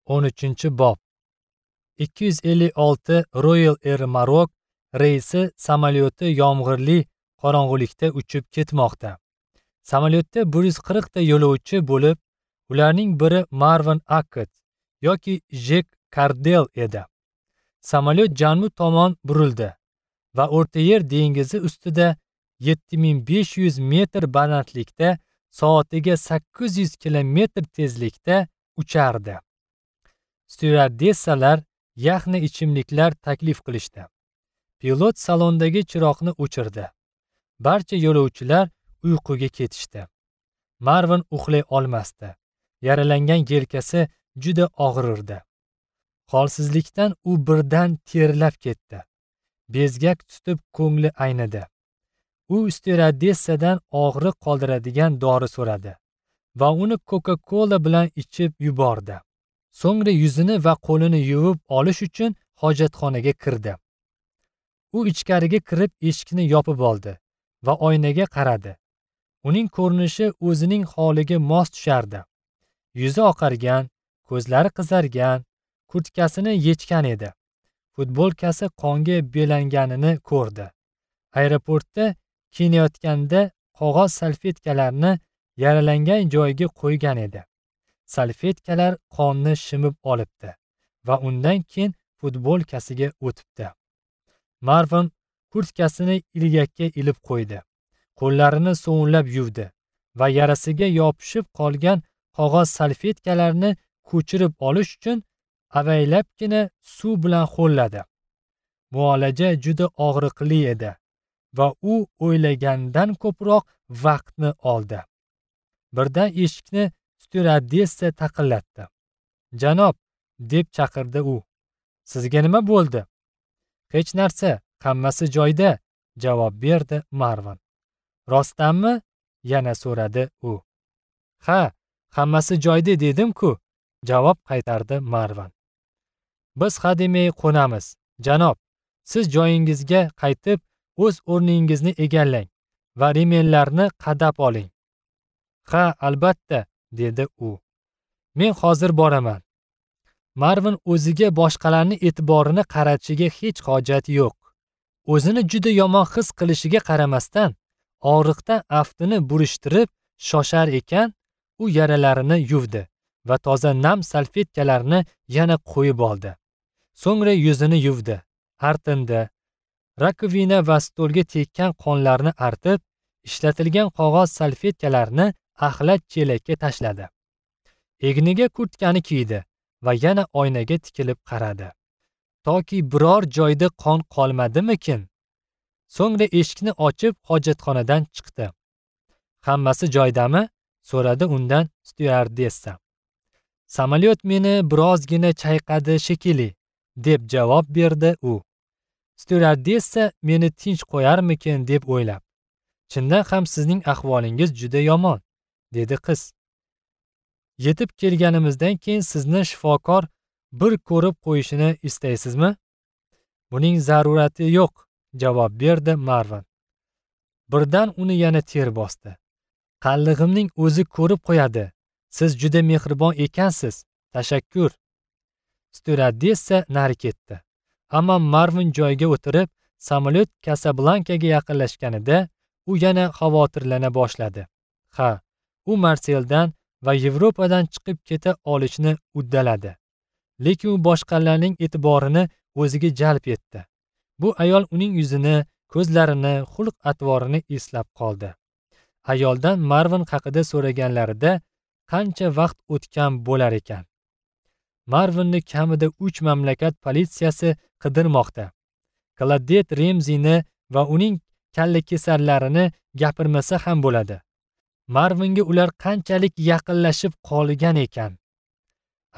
13-bob. 256 Royal Air Maroc reysi samolyoti yomg'irli qorong'ulikda uchib ketmoqda. Samolyotda 140 ta yo'lovchi bo'lib, ularning biri Marvin Akkad yoki Jek Kardel edi. Samolyot janub tomon burildi va O'rta Yer dengizi ustida 7500 metr balandlikda soatiga 800 kilometr tezlikda uchardi. Styuardessalar yaxna ichimliklar taklif qilishdi. Pilot salondagi chiroqni o'chirdi. Barcha yo'lovchilar uyquga ketishdi. Marvin uxlay olmasdi. Yaralangan yelkasi juda og'rirdi. Holsizlikdan u birdan terlab ketdi. Bezgak tutib ko'ngli aynidi. U styuardessadan og'riq qoldiradigan dori so'radi va uni Coca-Cola bilan ichib yubordi. So'ngra yuzini va qo'lini yuvib olish uchun hojatxonaga kirdi. U ichkariga kirib eshikni yopib oldi va oynaga qaradi. Uning ko'rinishi o'zining holiga mos tushardi. Yuzi oqargan, ko'zlari qizargan, kurtkasini yechgan edi. Futbolkasi qonga belanganini ko'rdi. Aeroportda kiyinayotganda qog'oz salfetkalarni yaralangan joyiga qo'ygan edi. Salfetkalar qonni shimib olibdi va undan keyin futbolkasiga o'tibdi. Marvin kurtkasini ilgakka ilib qo'ydi. Qo'llarini sovunlab yuvdi va yarasiga yopishib qolgan qog'oz salfetkalarni ko'chirib olish uchun avaylabgina suv bilan ho'lladi. Muolaja juda og'riqli edi va u o'ylagandan ko'proq vaqtni oldi. Birdan eshikni styuardessa taqillatdi. "Janob", deb chaqirdi u. "Sizga nima bo'ldi?" "Hech narsa, hammasi joyida", javob berdi Marvin. "Rostdanmi?" yana so'radi u. "Ha, hammasi joyida dedim-ku", javob qaytardi Marvin. "Biz hademay qo'namiz, janob. Siz joyingizga qaytib, o'z o'rningizni egallang va remenlarni qadab oling." "Ha, albatta", dedi u. "Men hozir boraman." Marvin o'ziga boshqalarning e'tiborini qaratishiga hech hojat yo'q. O'zini juda yomon his qilishiga qaramasdan, og'riqdan aftini burishtirib shoshar ekan, u yaralarini yuvdi va toza nam salfetkalarni yana qo'yib oldi. So'ngra yuzini yuvdi, artindi. Rakovina va stolga tekkan qonlarni artib, ishlatilgan qog'oz salfetkalarni axlat chelakka tashladi. Egniga kurtkani kiydi va yana oynaga tikilib qaradi. Toki biror joyda qon qolmadimikin? So'ngra eshikni ochib hojatxonadan chiqdi. "Hammasi joyidami?" so'radi undan styuardessa. "Samolyot meni birozgina chayqadi shekilli", deb javob berdi u. Styuardessa meni tinch qo'yarmikin deb o'ylab. "Chindan ham sizning ahvolingiz juda yomon", dedi qiz. "Yetib kelganimizdan keyin sizni shifokor bir ko'rib qo'yishini istaysizmi?" "Buning zarurati yo'q", javob berdi Marvin. Birdan uni yana ter bosdi. "Qallig'imning o'zi ko'rib qo'yadi. Siz juda mehribon ekansiz. Tashakkur." Styuardessa nari ketdi. Ammo Marvin joyiga o'tirib, samolyot Kasablankaga yaqinlashganida u yana xavotirlana boshladi. Ha, u Marseldan va Yevropadan chiqib keta olishni uddaladi. Lekin u boshqalarning e'tiborini o'ziga jalb etdi. Bu ayol uning yuzini, ko'zlarini, xulq-atvorini eslab qoldi. Ayoldan Marvin haqida so'raganlarida qancha vaqt o'tgan bo'lar ekan? Marvinni kamida 3 mamlakat politsiyasi qidirmoqda. Claudette Remzini va uning kallakesarlarini gapirmasa ham bo'ladi. Marvinga ular qanchalik yaqinlashib qolgan ekan?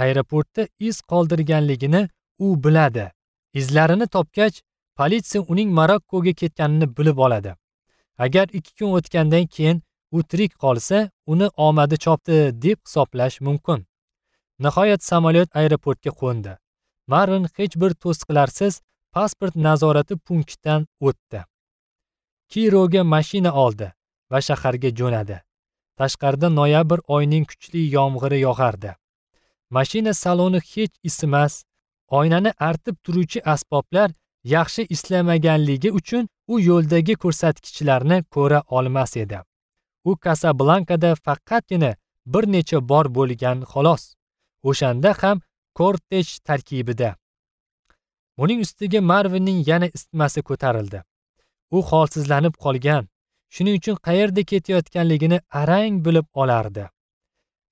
Aeroportda iz qoldirganligini u biladi. Izlarini topgach, politsiya uning Marokkoga ketganini bilib oladi. Agar 2 kun o'tgandan keyin u tirik qolsa, uni omadi chopdi deb hisoblash mumkin. Nihoyat samolyot aeroportga qo'ndi. Marvin hech bir to'siqlarsiz pasport nazorati punktidan o'tdi. Kiroga mashina oldi va shaharga jo'nadi. Tashqarida noyabr oyining kuchli yomg'iri yog'ardi. Mashina saloni hech isimas, oynani artib turuvchi asboblar yaxshi ishlamaganligi uchun u yo'ldagi ko'rsatkichlarni ko'ra olmas edi. U Kasablankada faqatgina bir necha bor bo'lgan xolos. O'shanda ham kortej tarkibida. Buning ustiga Marvinning yana isitmasi ko'tarildi. U holsizlanib qolgan, shuning uchun qayerda ketayotganligini arang bilib olardi.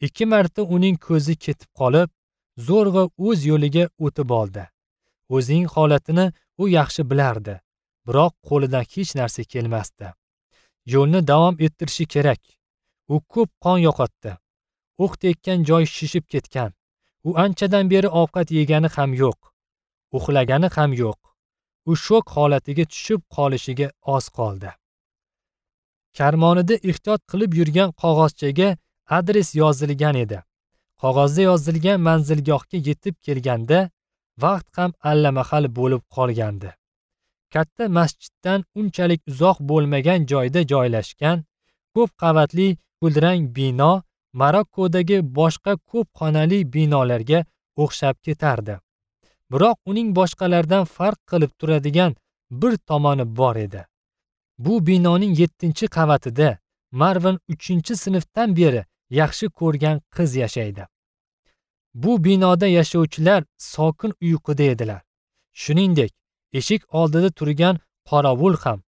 2 marta uning ko'zi ketib qolib, zo'rg'a o'z yo'liga o'tib oldi. O'zining holatini u yaxshi bilardi, biroq qo'lidan hech narsa kelmasdi. Yo'lni davom ettirishi kerak. U ko'p qon yo'qotdi. O'q tekkan joy shishib ketgan. U anchadan beri ovqat yegani ham yo'q, uxlagani ham yo'q. U shok holatiga tushib qolishiga oz qoldi. Karmonida ehtiyot qilib yurgan qog'ozchaga adres yozilgan edi. Qog'ozda yozilgan manzilgohga yetib kelganda vaqt ham allamahal bo'lib qolgandi. Katta masjiddan unchalik uzoq bo'lmagan joyda joylashgan ko'p qavatli kulrang bino Marokkodagi boshqa ko'p xonali binolarga o'xshab ketardi. Biroq uning boshqalardan farq qilib turadigan bir tomoni bor edi. Bu binoning 7-qavatida Marvin 3-sinfdan beri yaxshi ko'rgan qiz yashaydi. Bu binoda yashovchilar sokin uyquda edilar. Shuningdek, eshik oldida turgan qorovul ham.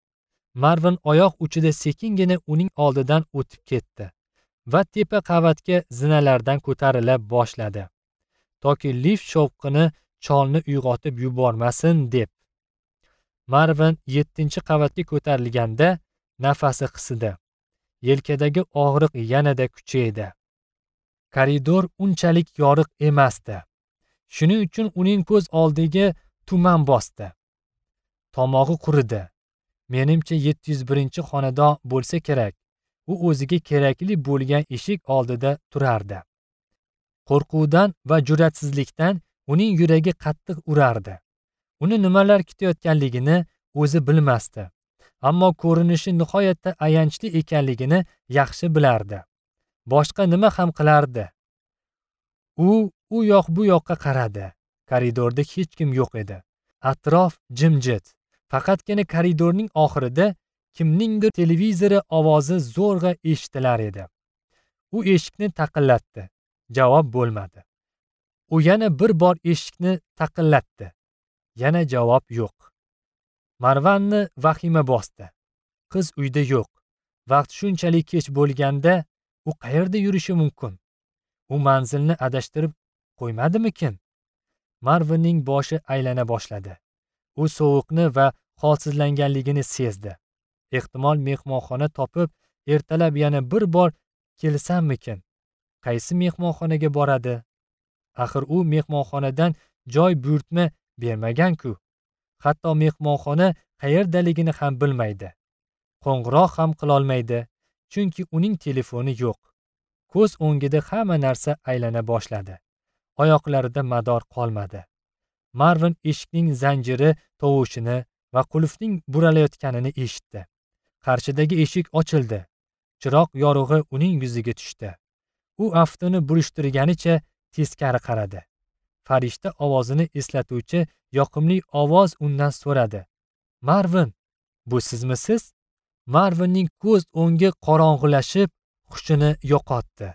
Marvin oyoq uchida sekingina uning oldidan o'tib ketdi va tepa qavatga zinalardan ko'tarila boshladi. Toki lift shovqini cholni uyg'otib yubormasin deb. Marvin 7-qavatga ko'tarilganda nafasi qisidi. Yelkadagi og'riq yanada kuchaydi. Koridor unchalik yorug' emasdi. Shuning uchun uning ko'z oldiga tuman bosdi. Tomog'i quridi. Menimcha 701-xonadon bo'lsa kerak. U o'ziga kerakli bo'lgan eshik oldida turardi. Qo'rquvdan va jur'atsizlikdan uning yuragi qattiq urardi. Uni nimalar kutayotganligini o'zi bilmasdi. Ammo ko'rinishi nihoyatda ayanchli ekanligini yaxshi bilardi. Boshqa nima ham qilardi? U u yoq bu yoqqa qaradi. Koridorda hech kim yo'q edi. Atrof jimjit. Faqatgina koridorning oxirida kimningdir televizori ovozi zo'rg'a eshitilar edi. U eshikni taqillatdi. Javob bo'lmadi. U yana bir bor eshikni taqillatdi. Yana javob yo'q. Marvanni vahima bosdi. Qiz uyda yo'q. Vaqt shunchalik kech bo'lganda u qayerda yurishi mumkin? U manzilni adashtirib qo'ymadimikin? Marvinning boshi aylana boshladi. U sovuqni va holsizlanganligini sezdi. Ehtimol mehmonxona topib, ertalab yana bir bor kelsammikin? Qaysi mehmonxonaga boradi? Axir u mehmonxonadan joy buyurtma bermagan-ku. Hatto mehmonxona qayerdaligini ham bilmaydi. Qo'ng'iroq ham qila olmaydi, chunki uning telefoni yo'q. Ko'z o'ngida hamma narsa aylana boshladi. Oyoqlarida mador qolmadi. Marvin eshikning zanjiri tovushini va qulfning buralayotganini eshitdi. Qarshidagi eshik ochildi. Chiroq yorug'i uning yuziga tushdi. U aftini burishtirganicha teskari qaradi. Farishta ovozini eslatuvchi yoqimli ovoz undan so'radi. Marvin, bu sizmisiz? Marvinning ko'z o'ngi qorong'ilashib, hushini yo'qotdi.